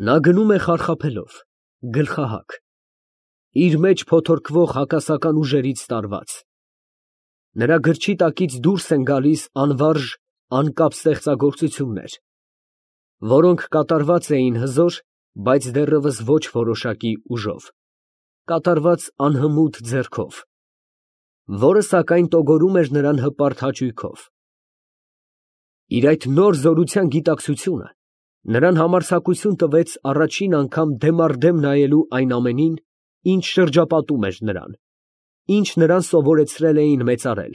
Նա գնում է խարխափելով, գլխահակ, իր մեջ փոթորկվող հակասական ուժերից տարված. նրա գրչի տակից դուրս են գալիս անվարժ, անկապ ստեղծագործություններ, որոնք կատարված էին հզոր, բայց դեռևս ոչ որոշակի ուժով, կատարված անհմուտ ձեռքով, որը սակայն տոգորում էր նրան հպարտ հաճույքով։ Իր այդ նոր զորության գիտակցությունը նրան համարձակություն տվեց առաջին անգամ դեմ առ դեմ նայելու այն ամենին, ինչ շրջապատում էր նրան, ինչ նրան սովորեցրել էին մեծարել,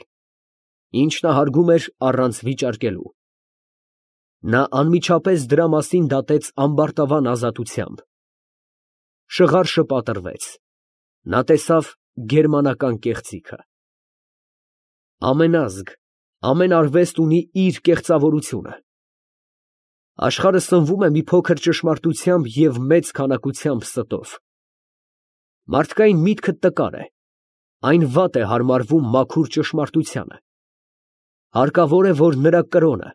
ինչ նա հարգում էր առանց վիճարկելու։ Նա անմիջապես դրա մասին դատեց ամբարտավան ազատությամբ։ Շղարշը պատռվեց։ Նա տեսավ գերմանական կեղծիքը։ Ամեն ազգ, ամեն արվեստ ունի իր կեղծավորությունը։ Աշխարհը սնվում է մի փոքր ճշմարտությամբ և մեծ քանակությամբ ստով։ Մարդկային միտքը տկար է, այն վատ է հարմարվում մաքուր ճշմարտությանը։ Հարկավոր է, որ նրա կրոնը,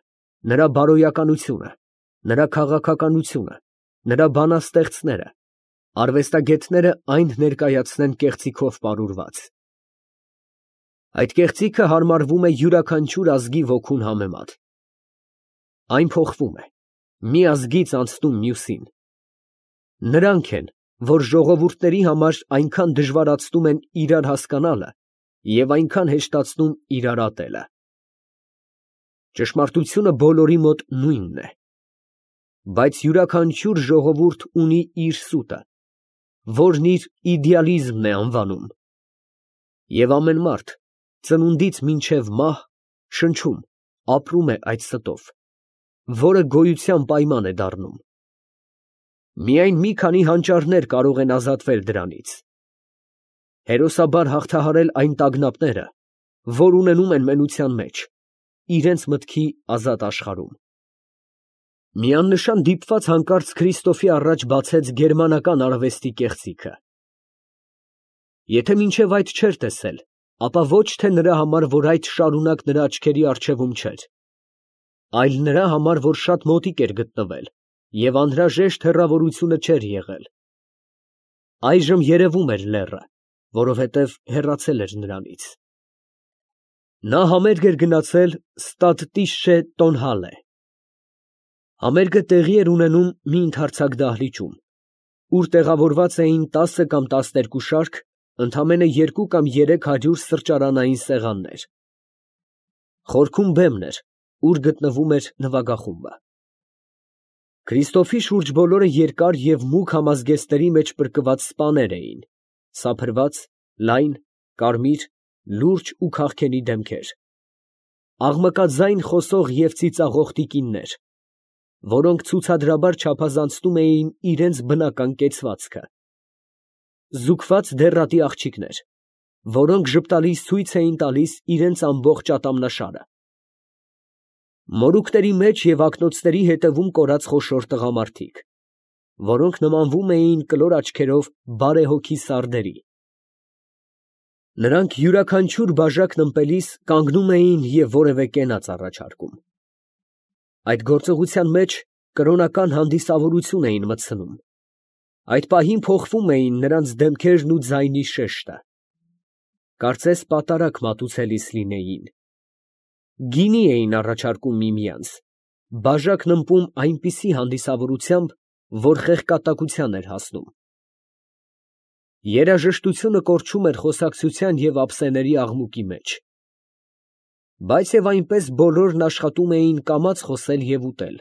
նրա բարոյականությունը, նրա քաղաքականությունը, նրա բանաստեղծները, արվեստագետները այն ներկայացնեն կեղծիքով պարուրված։ Այդ կեղծիքը հարմարվում է յուրաքանչյուր ազգի ոգուն համեմատ։ Այն փոխվում է, մի ազգից անցնում մյուսին։ Նրանք են, որ ժողովուրդների համար այնքան դժվարացնում են իրար հասկանալը և այնքան հեշտացնում իրար ատելը։ Ճշմարտությունը բոլորի մոտ նույնն է, բայց յուրաքանչյուր ժողովուրդ ունի իր սուտը, որն իր իդեալիզմն է անվանում, և ամեն մարդ ծնունդից մինչև մահ շնչում, ապրում է այդ ստով, որը գոյության պայման է դառնում։ Միայն մի քանի հանճարներ կարող են ազատվել դրանից, հերոսաբար հաղթահարել այն տագնապները, որ ունենում են մենության մեջ, իրենց մտքի ազատ աշխարհում։ Միանշան դիպված հանկարծ Քրիստոֆի առաջ բացեց գերմանական արվեստի կեղծիքը։ Եթե մինչև այդ չէր տեսել, ապա ոչ թե նրա համար, որ այդ շարունակ նրա աչքերի առջևում չէր, այլ նրա համար, որ շատ մոտիկ էր գտնվել և անհրաժեշտ հեռավորությունը չէր եղել։ Այժմ երևում էր լեռը, որովհետև հեռացել էր նրանից։ Նա համերգ էր գնացել Ստադտիշչե Տոնհալե։ Համերգը տեղի էր ունենում մի ընդարձակ դահլիճում, ուր տեղավորված էին 10 կամ 12 շարք, ընդամենը 2 կամ 300 սրճարանային սեղաններ։ Խորքում բեմն էր, ուր գտնվում էր նվագախումբը։ Քրիստոֆի շուրջ բոլորը երկար և մուգ համազգեստների մեջ պրկված սպաներ էին, սափրված, լայն, կարմիր, լուրջ ու քաղքենի դեմքեր, աղմկաձայն խոսող և ծիծաղող տիկիններ, որոնք ցուցադրաբար չափազանցնում էին իրենց բնական կեցվածքը, զուգված դեռատի աղջիկներ, որոնք ժպտալից ցույց էին տալիս իրենց ամբողջ ատամնաշարը, մորուքների մեջ և ակնոցների ետևում կորած խոշոր տղամարդիկ, որոնք նմանվում էին կլոր աչքերով բարեհոգի սարդերի։ Նրանք յուրաքանչյուր բաժակն ըմպելիս կանգնում էին և որևէ կենաց առաջարկում։ Այդ գործողության մեջ կրոնական հանդիսավորություն էին մտցնում։ Այդ պահին փոխվում էին նրանց դեմքերն ու ձայնի շեշտը։ Կարծես պատարագ մատուցելիս լինեին։ Գինի էին առաջարկում միմյանց, բաժակն ըմպում այնպիսի հանդիսավորությամբ, որ խեղկատակության էր հասնում։ Երաժշտությունը կորչում էր խոսակցության և ափսեների աղմուկի մեջ։ Բայց և այնպես բոլորն աշխատում էին կամաց խոսել և ուտել։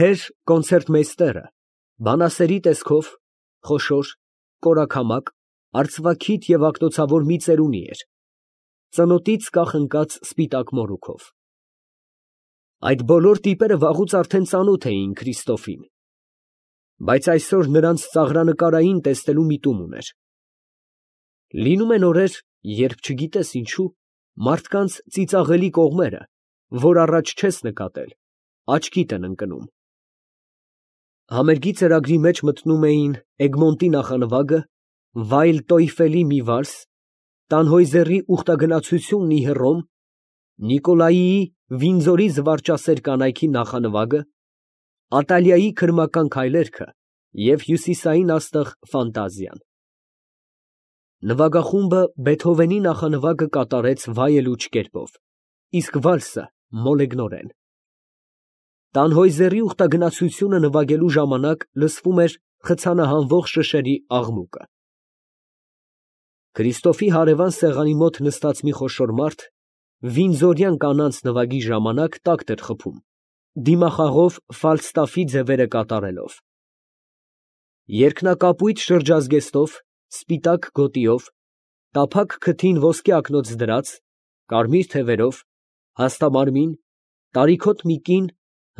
Հեր կոնցերտմեյստերը բանասերի տեսքով, խոշոր, կորակամակ, արծվաքիթ և ակնոցավոր մի ծերունի էր, ծնոտից կախ ընկած սպիտակ մորուքով։ Այդ բոլոր տիպերը վաղուց արդեն ծանոթ էին Քրիստոֆին, բայց այսօր նրանց ծաղրանկարային տեսնելու միտում ուներ։ Լինում են օրեր, երբ չգիտես ինչու, մարդկանց ծիծաղելի կողմերը, որ առաջ չես նկատել, աչքիդ են ընկնում։ Համերգի ծրագրի մեջ մտնում էին Էգմոնտի նախանվագը, Վայլ Տոյֆելի մի վալս, Տանհոյզերի ուխտագնացությունն ի Հռոմ, Նիկոլայիի Վինձորի զվարճասեր կանայքի նախանվագը, Ատալիայի քրմական քայլերքը և հյուսիսային աստղ ֆանտազիան։ Նվագախումբը Բեթհովենի նախանվագը կատարեց վայելուչ կերպով, իսկ վալսը մոլեգնորեն։ Տանհոյզերի ուխտագնացությունը նվագելու ժամանակ լսվում էր խցանահանվող շշերի աղմուկը։ Քրիստոֆի հարևան սեղանի մոտ նստած մի խոշոր մարդ վինձորյան կանանց նվագի ժամանակ տակտ էր խփում, դիմախաղով ֆալստաֆի ձևերը կատարելով։ Երկնակապույտ շրջազգեստով, սպիտակ գոտիով, տափակ քթին ոսկե ակնոց դրած, կարմիր թևերով, հաստամարմին, տարիքոտ մի կին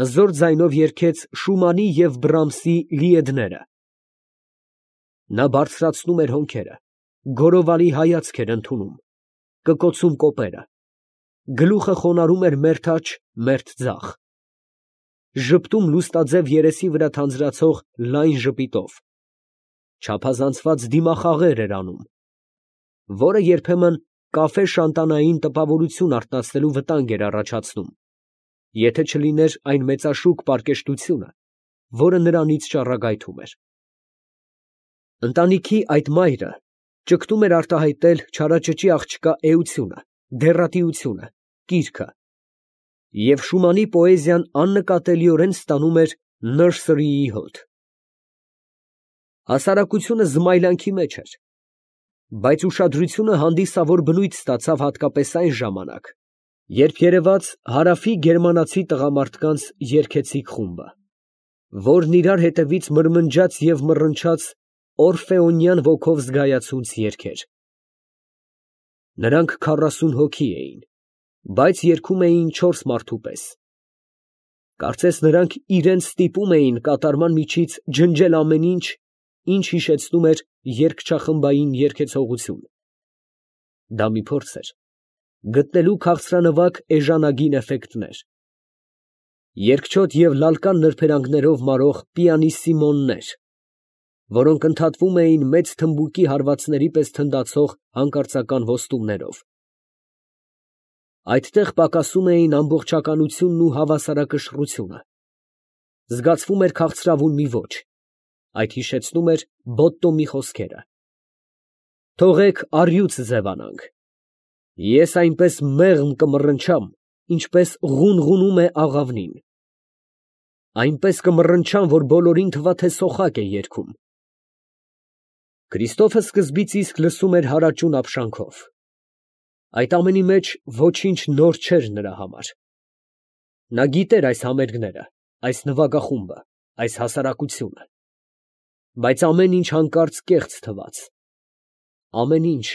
հզոր ձայնով երգեց Շումանի և Բրամսի Լիեդները։ Նա բարձրացնում էր հոնքերը, գորովալի հայացք էր ընդունում, կկոցում կոպերը, գլուխը խոնարհում էր մերթ աջ, մերթ ձախ, ժպտում լուստաձև երեսի վրա թանձրացող լայն ժպիտով, չափազանցված դիմախաղեր էր անում, որը երբեմն կաֆե շանտանային տպավորություն արթնացնելու վտանգ էր առաջացնում, եթե չլիներ այն մեծաշուկ պարկեշտությունը, որը նրանից ճառագայթում էր։ Ընտանիքի այդ մայրը ճգտում էր արտահայտել չարաճճի աղջկա էությունը, դեռատիությունը, կիրքը, և Շումանի պոեզիան աննկատելիորեն ստանում էր նըրսրիի հոտ։ Հասարակությունը զմայլանքի մեջ էր, բայց ուշադրությունը հանդիսավոր բնույթ ստացավ հատկապես այն ժամանակ, երբ երևաց հարավի գերմանացի տղամարդկանց երգեցիկ խումբը, որն իրար հետևից մրմնջաց և մռնչաց օրֆեոնյան ոգով զգայացունց երգեր։ Նրանք 40 հոգի էին, բայց երգում էին 4 մարդու պես։ Կարծես նրանք իրենց ստիպում էին կատարման միջից ջնջել ամեն ինչ, ինչ հիշեցնում էր երգչախմբային երգեցողություն։ Դա մի փորձ էր գտնելու քաղցրանվագ էժանագին էֆեկտներ, երկչոտ և լալկան նրբերանգներով մարող պիանիսիմոներ, որոնք ընդհատվում էին մեծ թմբուկի հարվածների պես թնդացող հանկարծական ոստումներով։ Այդտեղ պակասում էին ամբողջականությունն ու հավասարակշռությունը, զգացվում էր քաղցրավուն մի ոճ, այդ հիշեցնում էր Բոտտոմի խոսքերը. «Թողեք առյուծ ձևանանք, ես այնպես մեղմ կմռնչամ, ինչպես ղունղունում է աղավնին, այնպես կմռնչամ, որ բոլորին թվա, թե սոխակ է երգում»։ Քրիստոֆը սկզբից իսկ լսում էր հարաճուն ապշանքով։ Այդ ամենի մեջ ոչինչ նոր չէր նրա համար։ Նա գիտեր այս համերգները, այս նվագախումբը, այս հասարակությունը, բայց ամեն ինչ հանկարծ կեղծ թվաց։ Ամեն ինչ,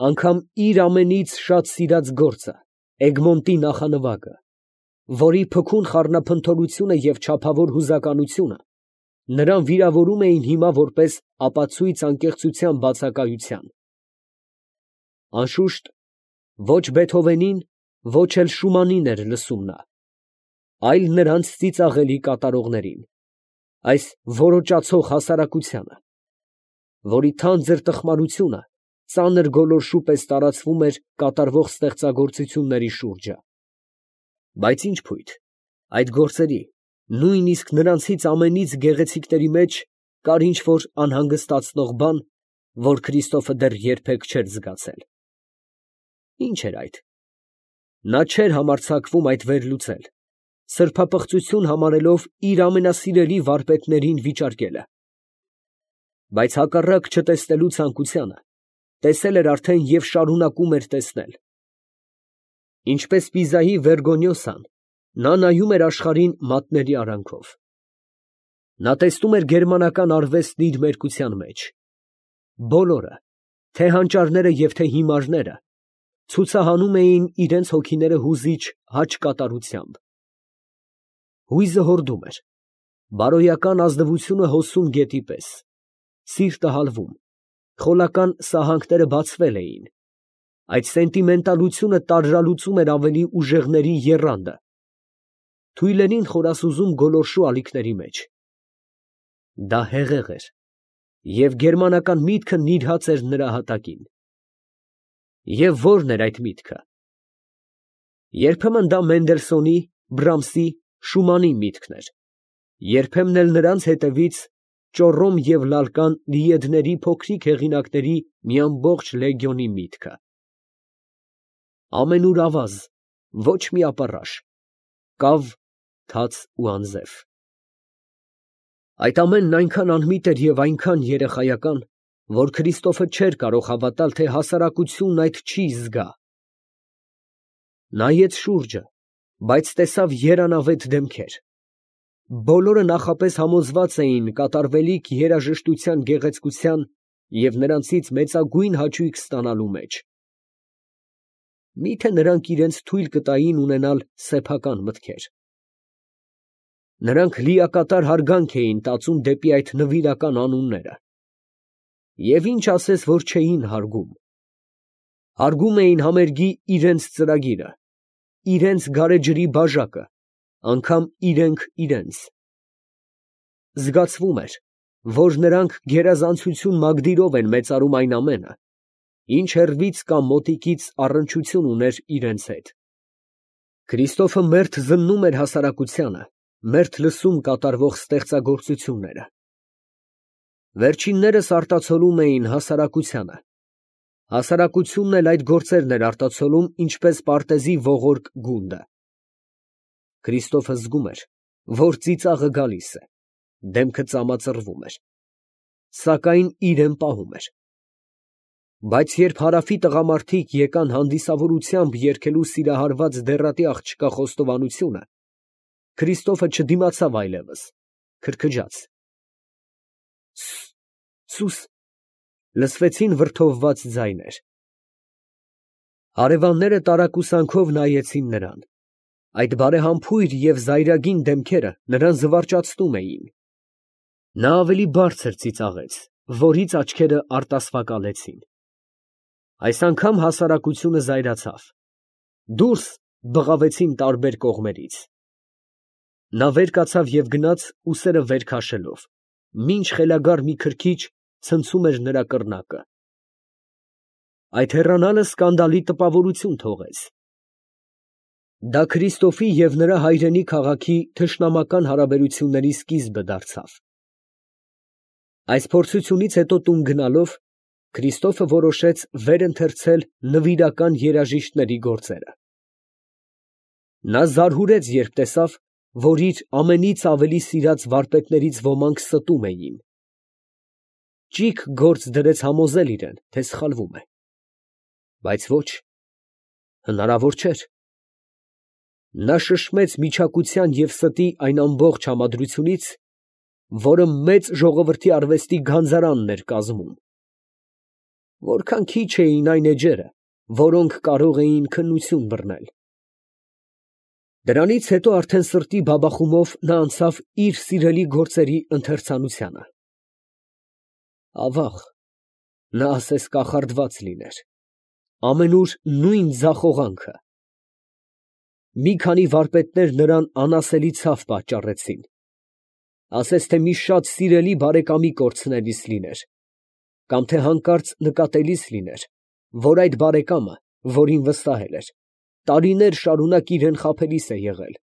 անգամ իր ամենից շատ սիրած գործը, Էգմոնտի նախանվագը, որի փքուն խառնափնթորությունը և չափավոր հուզականությունը նրան վիրավորում էին հիմա որպես ապացույց անկեղծության բացակայության։ Անշուշտ, ոչ Բեթհովենին, ոչ էլ Շումանին էր լսում նա, այլ նրանց ծիծաղելի կատարողներին, այս որոճացող հասարակությանը, որի թանձր տխմարությունը ծանր գոլորշու պես տարածվում էր կատարվող ստեղծագործությունների շուրջը։ Բայց ինչ փույթ, այդ գործերի, նույնիսկ նրանցից ամենից գեղեցիկների մեջ կար ինչ֊որ անհանգստացնող բան, որ Քրիստոֆը դեռ երբեք չէր զգացել։ Ինչ էր այդ։ Նա չէր համարձակվում այդ վերլուծել, սրբապղծություն համարելով իր ամենասիրելի վարպետներին վիճարկելը։ Բայց հակառակ չտեսնելու ցանկությանը, տեսել էր արդեն և շարունակում էր տեսնել։ Ինչպես Պիզայի Վերգոնյոսան, նա նայում էր աշխարհին մատների արանքով։ Նա տեսնում էր գերմանական արվեստն իր մերկության մեջ։ Բոլորը, թե հանճարները և թե հիմարները, ցուցահանում էին իրենց հոգիները հուզիչ աջ կատարությամբ։ Հույզը հորդում էր, բարոյական ազնվությունը հոսում գետի պես, սիրտը հալվում, խոլական սահանքները բացվել էին, այդ սենտիմենտալությունը տարրալուծում էր ավելի ուժեղների եռանդը, թույլերին խորասուզում գոլորշու ալիքների մեջ։ Դա հեղեղ էր, և գերմանական միտքը նիրհած էր նրա հատակին։ Եվ ո՞րն էր այդ միտքը։ Երբեմն դա Մենդելսոնի, Բրամսի, Շումանի միտքն էր, Երբեմն էլ նրանց հետևից ճոռոմ և լալկան լիեդների փոքրիկ հեղինակների մի ամբողջ լեգիոնի միտքը։ Ամենուր ավազ, ոչ մի ապառաշ, կավ, թաց ու անձև։ Այդ ամենն այնքան անմիտ էր և այնքան երեխայական, որ Քրիստոֆը չէր կարող հավատալ, թե հասարակությունն այդ չի զգա։ Նայեց շուրջը, բայց տեսավ երանավետ դեմքեր։ Բոլորը նախապես համոզված էին կատարվելիք երաժշտության գեղեցկության և նրանցից մեծագույն հաճույք ստանալու մեջ։ Մի՞թե նրանք իրենց թույլ կտային ունենալ սեփական մտքեր։ Նրանք լիակատար հարգանք էին տածում դեպի այդ նվիրական անունները։ Եվ ինչ ասես, որ չէին հարգում։ Հարգում էին համերգի իրենց ծրագիրը, իրենց գարեջրի բաժակը, անգամ իրենք իրենց։ Զգացվում էր, որ նրանք գերազանցություն մագդիրով են մեծարում այն ամենը, ինչ հեռվից կամ մոտիկից առնչություն ուներ իրենց հետ։ Քրիստոֆը մերթ զննում էր հասարակությանը, մերթ լսում կատարվող ստեղծագործությունները։ Վերջիններս արտացոլում էին հասարակությանը։ Հասարակությունն էլ այդ գործերն էր արտացոլում ինչպես պարտեզի ողորկ գունդը։ Քրիստոֆը զգում էր, որ ծիծաղը գալիս է, դեմքը ծամածռվում էր, սակայն իրեն պահում էր։ Բայց երբ Հարավի տղամարդիկ եկան հանդիսավորությամբ երգելու սիրահարված դեռատի աղջկա խոստովանությունը, Քրիստոֆը չդիմացավ այլևս, քրքջաց. «Սուս», լսվեցին վրդովված ձայներ։ Հարևանները տարակուսանքով նայեցին նրան։ Այդ բարեհամբույր և զայրագին դեմքերը նրան զվարճացնում էին։ Նա ավելի բարձր ծիծաղեց, որից աչքերը արտասվակալեցին։ Այս անգամ հասարակությունը զայրացավ։ «Դուրս», բղավեցին տարբեր կողմերից։ Նա վեր կացավ և գնաց ուսերը վեր քաշելով, մինչ խելագար մի քրքիջ ցնցում էր նրա կռնակը։ Այդ հեռանալը սկանդալի տպավորություն թողեց։ Դա Քրիստոֆի և նրա հայրենի քաղաքի թշնամական հարաբերությունների սկիզբը դարձավ։ Այս փորձությունից հետո տուն գնալով, Քրիստոֆը որոշեց վեր ընթերցել նվիրական երաժիշտների գործերը։ Նա զարհուրեց, երբ տեսավ, որ իր ամենից ավելի սիրած վարպետներից ոմանք ստում էին։ Ճիգ գործ դրեց համոզել իրեն, թե սխալվում է։ Բայց ոչ, հնարավոր չէր։ Նա շշմեց միջակության և ստի այն ամբողջ համադրությունից, որը մեծ ժողովրդի արվեստի գանձարանն էր կազմում։ Որքան քիչ էին այն էջերը, որոնք կարող էին քննություն բռնել։ Դրանից հետո արդեն սրտի բաբախումով նա անցավ իր սիրելի գործերի ընթերցանությանը։ Ավաղ, նա ասես կախարդված լիներ, ամենուր նույն ձախողանքը։ Մի քանի վարպետներ նրան անասելի ցավ պատճառեցին, ասես թե մի շատ սիրելի բարեկամի կորցնելիս լիներ, կամ թե հանկարծ նկատելիս լիներ, որ այդ բարեկամը, որին վստահել էր, տարիներ շարունակ իրան խաբելիս է եղել։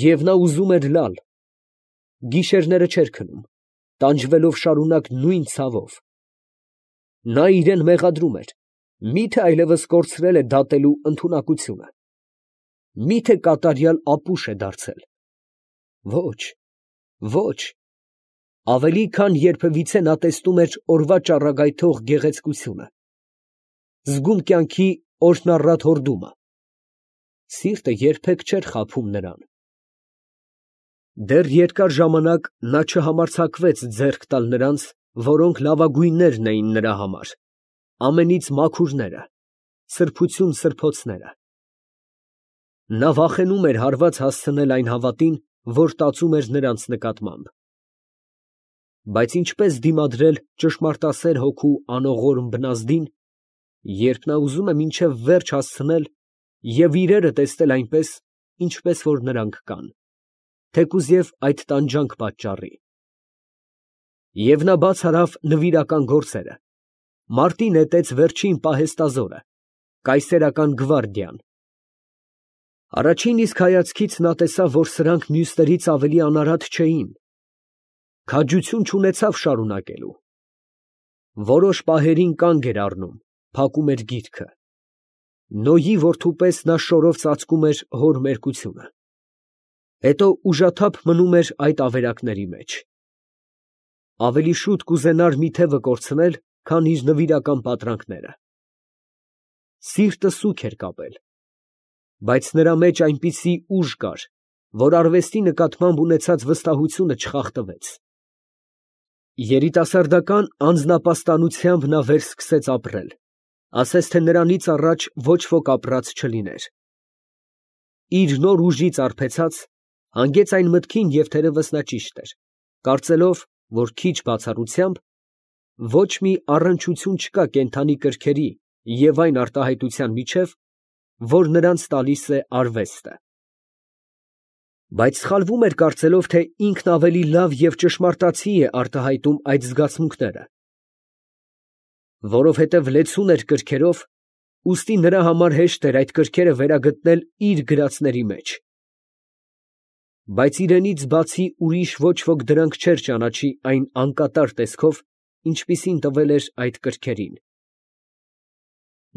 Եվ նա ուզում էր լալ, գիշերները չէր քնում, տանջվելով շարունակ նույն ցավով։ Նա իրան մեղադրում էր, միթե այլևս կորցրել է դատելու ընդունակությունը, միթե կատարյալ ապուշ է դարձել։ Ոչ, ոչ, ավելի քան երբևիցե նա տեսնում էր օրվա ճառագայթող գեղեցկությունը, զգում կյանքի օրհնառատ հորդումը։ Սիրտը երբեք չէր խաբում նրան։ Դեռ երկար ժամանակ նա չհամարձակվեց ձեռք տալ նրանց, որոնք լավագույններն էին նրա համար, ամենից մաքուրները, սրբություն սրբոցները։ Նա վախենում էր հարված հասցնել այն հավատին, որ տածում էր նրանց նկատմամբ։ Բայց ինչպես դիմադրել ճշմարտասեր հոգու անողորմ բնազդին, երբ նա ուզում է մինչև վերջ հասցնել և իրերը տեսնել այնպես, ինչպես որ նրանք կան, թեկուզ այդ տանջանք պատճառի։ Եվ նա բաց արավ նվիրական գործերը, մարտի նետեց վերջին պահեստազորը, կայսերական գվարդիան։ Առաջին իսկ հայացքից նա տեսավ, որ սրանք մյուսներից ավելի անարատ չէին, քաջություն չունեցավ շարունակելու։ Որոշ պահերին կանգ էր առնում, փակում էր գիրքը։ Նոյի որդու պես նա շորով ծածկում էր հոր մերկությունը։ Հետո ուժաթափ մնում էր այդ ավերակների մեջ։ Ավելի շուտ կուզենար մի թևը կորցնել, քան իր նվիրական պատրանքները։ Սիրտը սուգ էր կապել, բայց նրա մեջ այնպիսի ուժ կար, որ արվեստի նկատմամբ ունեցած վստահությունը չխախտվեց։ Երիտասարդական անձնապաստանությամբ նա վերսկսեց ապրել, ասես թե նրանից առաջ ոչ ոք ապրած չլիներ։ Իր նոր ուժից արբեցած, հանգեց այն մտքին, և թերևս նա ճիշտ էր, կարծելով, որ քիչ բացառությամբ ոչ մի առնչություն չկա կենդանի կրքերի և այն արտահայտության միջև, որ նրանց տալիս է արվեստը։ Բայց սխալվում էր կարծելով, թե ինքն ավելի լավ և ճշմարտացի է արտահայտում այդ զգացմունքները։ Որովհետև լեցուն էր կրքերով, ուստի նրա համար հեշտ էր այդ կրքերը վերագտնել իր գրածների մեջ։ Բայց իրենից բացի ուրիշ ոչ ոք դրանք չէր ճանաչի այն անկատար տեսքով, ինչպիսին տվել էր այդ կրքերին։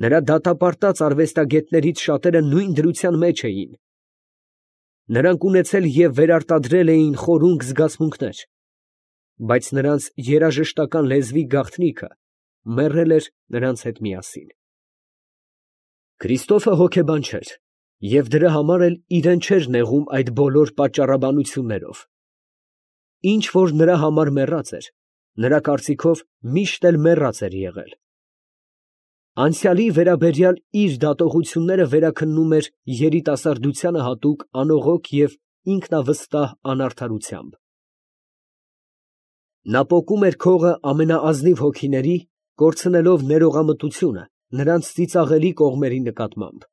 Նրա դատապարտած արվեստագետներից շատերը նույն դրության մեջ էին։ Նրանք ունեցել և վերարտադրել էին խորունկ զգացմունքներ, բայց նրանց երաժշտական լեզվի գաղտնիքը մեռել էր նրանց հետ միասին։ Քրիստոֆը հոգեբան չէր և դրա համար էլ իրեն չէր նեղում այդ բոլոր պատճառաբանություններով։ Ինչ որ նրա համար մեռած էր, նրա կարծիքով միշտ էլ մեռած էր եղել։ Անցյալի վերաբերյալ իր դատողությունները վերաքննում էր երիտասարդությանը հատուկ անողոք և ինքնավստահ անարդարությամբ։ Նա պոկում էր քողը ամենաազնիվ հոգիների, կորցնելով ներողամտությունը նրանց ծիծաղելի կողմերի նկատմամբ։